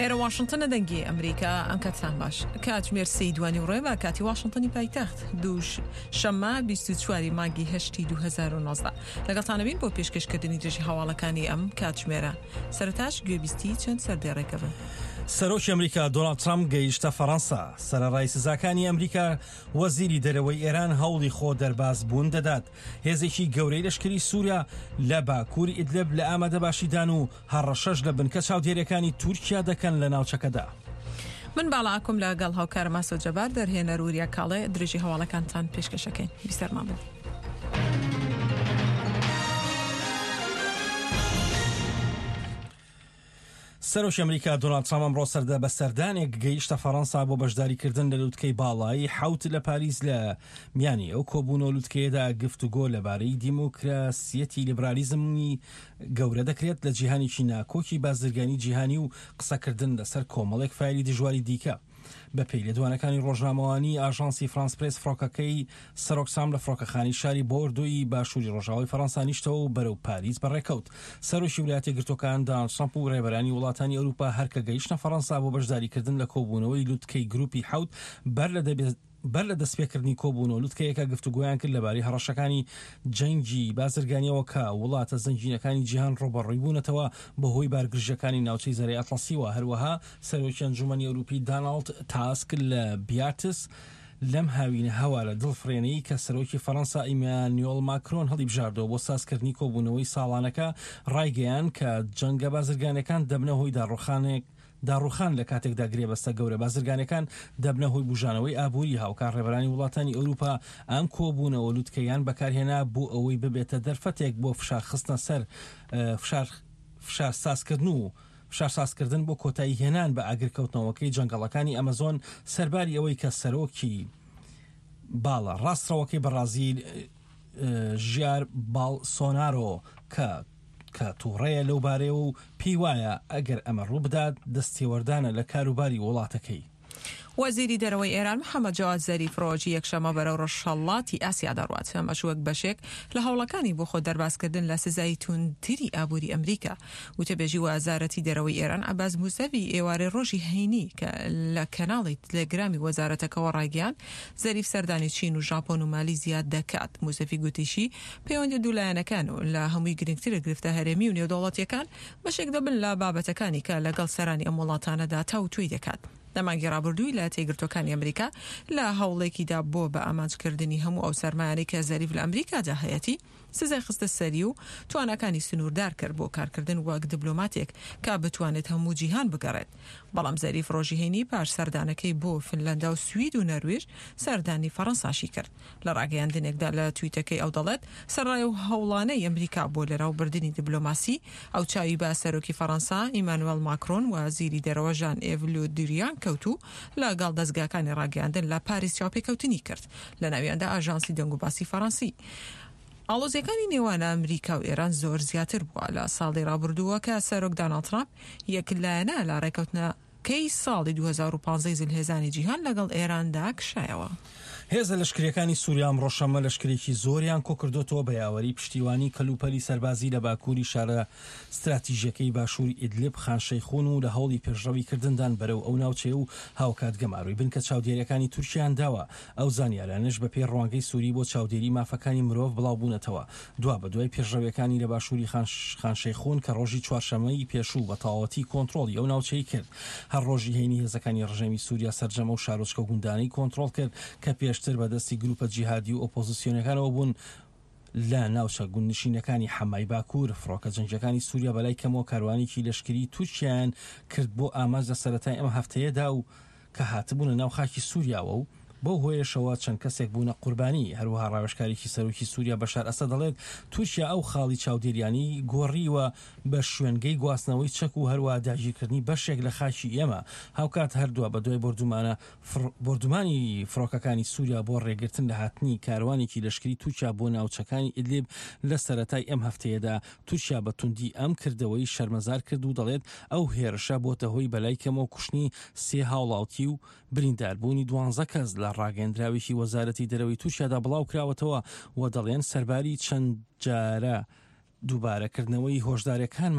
ئێرە واشنتنە دەنگی ئەمریکا ئەم کاتتان باش کاتژمێر سێی دوانی ڕێ بە کاتی واشنتنی پایتەخت دووش شەممە 24 مانگی هەشتی 2019 لەگەڵتانە بین بۆ پێشکەشکردنی درێژی هەواڵەکانی ئەم کاتژمێرە سەرەتاش گوێبیستی چەند سەردێڕێکە بن. سەرۆکی ئەمریکا دۆناڵد ترەمپ گەیشتە فەڕەنسا، سەرەڕای سزاکانی ئەمریکا، وەزیری دەرەوەی ئێران هەوڵی خۆ دەربازبوون دەدات. هێزێکی گەورەی لەشکری سووریا لە باکووری ئیدلب لە ئامادەباشیدان و هەڕەشەش لە بنکە چاودێرییەکانی تورکیا دەکەن لە ناوچەکەدا. من باڵا ئاکۆم لە گەڵ هاوکارم ئاسۆ جەبار، دەرهێنەر وریا کاڵێ، درێژی هەواڵەکانتان پێشکەشەکەین. بیسەرمان بن. سەرۆکی ئەمریکا دۆناڵد ترامپ ئەمڕۆ سەردە بە سەردانێک گەیشتە فەڕەنسا بۆ بەشداریکردن لە لوتکەی باڵایی حەوت لە پاریس لە میانی ئەو کۆبوونەوە لوتکەیەدا گفتوگۆ لەبارەی دیموکراسیەتی لیبرالیزمی گەورە دەکرێت لە جیهانێکی ناکۆکی بازرگانی جیهانی و قسەکردن لەسەر کۆمەڵێک فایلی دژواری دیکە. بەپێی لێدوانەکانی ڕۆژنامەوانی ئاژانسی فرانس پرێس فڕۆکەکەی سەرۆک سام لە فڕۆکەخانەی شاری بۆردۆی باشووری ڕۆژاوای فەڕەنسا نیشتەوە و بەرەو پاریس بەڕێکەوت. سەرۆکی ویلایەتە یەکگرتووەکان داناڵد ترەمپ و ڕێبەرانی وڵاتانی ئەوروپا هەر کە گەیشتنە فەڕەنسا بۆ بەشداریکردن لە کۆبوونەوەی لوتکەی گروپی حەوت بەر لە بەر لە دەستپێکردنی کۆبوونەوە لوتکەیەکە گفتوگۆیان کرد لەبارەی هەڕەشەکانی جەنگی بازرگانیەوە کە وڵاتە زەنگینەکانی جیهان ڕووبەڕووی بوونەتەوە بەهۆی بارگرژیەکانی ناوچەی زەریای ئەتڵەسیوە. هەروەها سەرۆکی ئەنجومەنی ئەوروپی داناڵد تاسک لە بیارتس لەم هاوینە هەوارە دڵفڕێنەی کە سەرۆکی فەرەنسا ئیمانیۆڵ ماکرۆن هەڵیبژاردەوە بۆ سازکردنی کۆبوونەوەی ساڵانەکە ڕایگەیاند کە جەنگە بازرگانیەکان دەبنە هۆی داڕوخانێک داڕوخان لە کاتێکدا گرێبەستە گەورە بازرگانیەکان دەبنە هۆی بوژانەوەی ئابووری، هاوکات ڕێبەرانی وڵاتانی ئەوروپا ئەم کۆبوونەوە لوتکەیان بەکارهێنا بۆ ئەوەی ببێتە دەرفەتێک بۆ فشار خستنە سەر فشار فشار سازکردن و فشار سازکردن بۆ کۆتایی هێنان بە ئاگرکەوتنەوەکەی جەنگەڵەکانی ئەمەزۆن سەرباری ئەوەی کە سەرۆکی باڵە ڕاستڕەوەکەی بەڕازیل ژیار باڵسۆنارۆ کە کە تووڕەیە لەو بارەیەوە و پێی وایە ئەگەر ئەمە ڕووبدات دەستێوەردانە لە کاروباری وڵاتەکەی. وەزیری دەرەوەی ئێران محەمەد جەواد زەریف ڕۆژی یەکشەممە بەرەو ڕۆژهەڵاتی ئاسیا دەڕوات، ئەمەش وەک بەشێک لە هەوڵەکانی بۆ خۆ دەربازکردن لە سزای توندتری ئابووری ئەمریکا. وتەبێژی وەزارەتی دەرەوەی ئێران عەباس موسەوی ئێوارەی ڕۆژی هەینی کە لە کەناڵی تلێگرامی وەزارەتەکەوە ڕایگەیاند، زەریف سەردانی چین و ژاپۆن و مالیزیا دەکات. موسەفی گوتیشی، پەیوەندیە دوولایەنەکان و لە هەمووی گرنگتر گرفتە هەرێمی و نێودەوڵەتیەکان بەشێک دەبن لە بابەتەکانی کە لەگەڵ سەرانی ئەم وڵاتانەدا تاوتوێی دەکات. لە مانگی ڕابردوو ویلایەتە یەکگرتووەکانی ئەمریکا لە هەوڵێکیدا بۆ بە ئامانجکردنی هەموو ئەو سەرمایانەی کە زەریف لە ئەمریکادا هەیەتی، سزای خستە سەری و تواناکانی سنووردار کرد بۆ کارکردن وەک دبلۆماتێک کە بتوانێت هەموو جیهان بگەڕێت. بەڵام زەریف ڕۆژی هەینی پاش سەردانەکەی بۆ فنلەندا و سوید و نەرویژ سەردانی فەڕەنساشی کرد. لە ڕاگەیاندنێکدا لە تویتەکەی ئەو دەڵێت، سەرەڕای ئەو هەوڵانەی ئەمریکا بۆ لەناوبردنی دبلۆماسی، ئەو چاوی بە سەرۆکی فەڕەنسا ئیمانوێڵ ماکرۆن و وەزیری دەرەوە ژان ئێڤ لودریان کەوت و لەگەڵ دەزگاکانی ڕاگەیاندن لە پاریس چاوپێکەوتنی کرد، لەناویاندا ئاژانسی دەنگوباسی فەڕەنسی. ئاڵۆزییەکانی نێوان ئەمریکا و ئێران زۆر زیاتر بووە لە ساڵی ڕابردووە کە سەرۆک داناڵد ترامپ یەکلایەنە لە ڕێکەوتنەکەی ساڵی 2015 زلهێزانی جیهان لەگەڵ ئێراندا کشایەوە. هێزە لەشکرییەکانی سووریا ئەمڕۆ شەممە لەشکرێکی زۆریان کۆکردۆتەوە بە یاوەری پشتیوانی کەلوپەلی سەربازی لە باکووری شارە ستراتیژییەکەی باشووری ئیدلب خان شەیخون و لە هەوڵی پێشڕەوی کردندان بەرەو ئەو ناوچەیە و هاوکات گەمارۆی بنکە چاودێرییەکانی تورکیایان داوە ئەو زانیارانەش بەپێی ڕوانگەی سووری بۆ چاودێری مافەکانی مرۆڤ بڵاوبوونەتەوە دوابەدوای پێشڕەویەکانی لە باشووری خان شەیخون کە ڕۆژی چوارشەممەی پێشوو بە تەواوەتی کۆنترۆڵی ئەو ناوچەی کرد. هەر ڕۆژی هەینی هێزەکانی ڕژێمی سووریا سەرجەم ئەو شارۆچکە و گوندانەی کۆنترۆڵ کرد کە پێشتر بە دەستی گرووپە جیهادی و ئۆپۆزسیۆنەکانەوە بوون لە ناوچە گوندنشینەکانی حەمای باکوور. فڕۆکە جەنگییەکانی سووریا بەلای کەمەوە کاروانێکی لەشکریی تورکیایان کرد بۆ ئامانج لە سەرەتای ئەم هەفتەیەدا و کە هاتبوونە ناو خاکی سووریاوە و بەو هۆیەشەوە چەند کەسێک بوونە قوربانی. هەروەها ڕاوێژکارێکی سەرۆکی سووریا بەشار ئەسەد دەڵێت، تورکیا ئەو خاڵی چاودێریانەی گۆڕیوە بە شوێنگەی گواستنەوەی چەک و هەروەها داگیرکردنی بەشێک لە خاکی ئێمە. هاوکات هەر دوابەدوای بۆردومانە بۆردومانی فڕۆکەکانی سووریا بۆ ڕێگرتن لە هاتنی کاروانێکی لەشکری تورکیا بۆ ناوچەکانی ئیدلیب لە سەرەتای ئەم هەفتەیەدا، تورکیا بە توندی ئەم کردەوەی شەرمەزار کرد و دەڵێت ئەو هێرشە بۆتە هۆی بەلای کەمەوە کوشتنی سێ هاوڵاتی و برینداربوونی دوانزە کەس لە ڕاگەیەندراوێکی وەزارەتی دەرەوەی تورکیادا بڵاوکراوەتەوە و دەڵێن سەرباری چەند جارە دووبارەکردنەوەی هۆشداریەکانمان.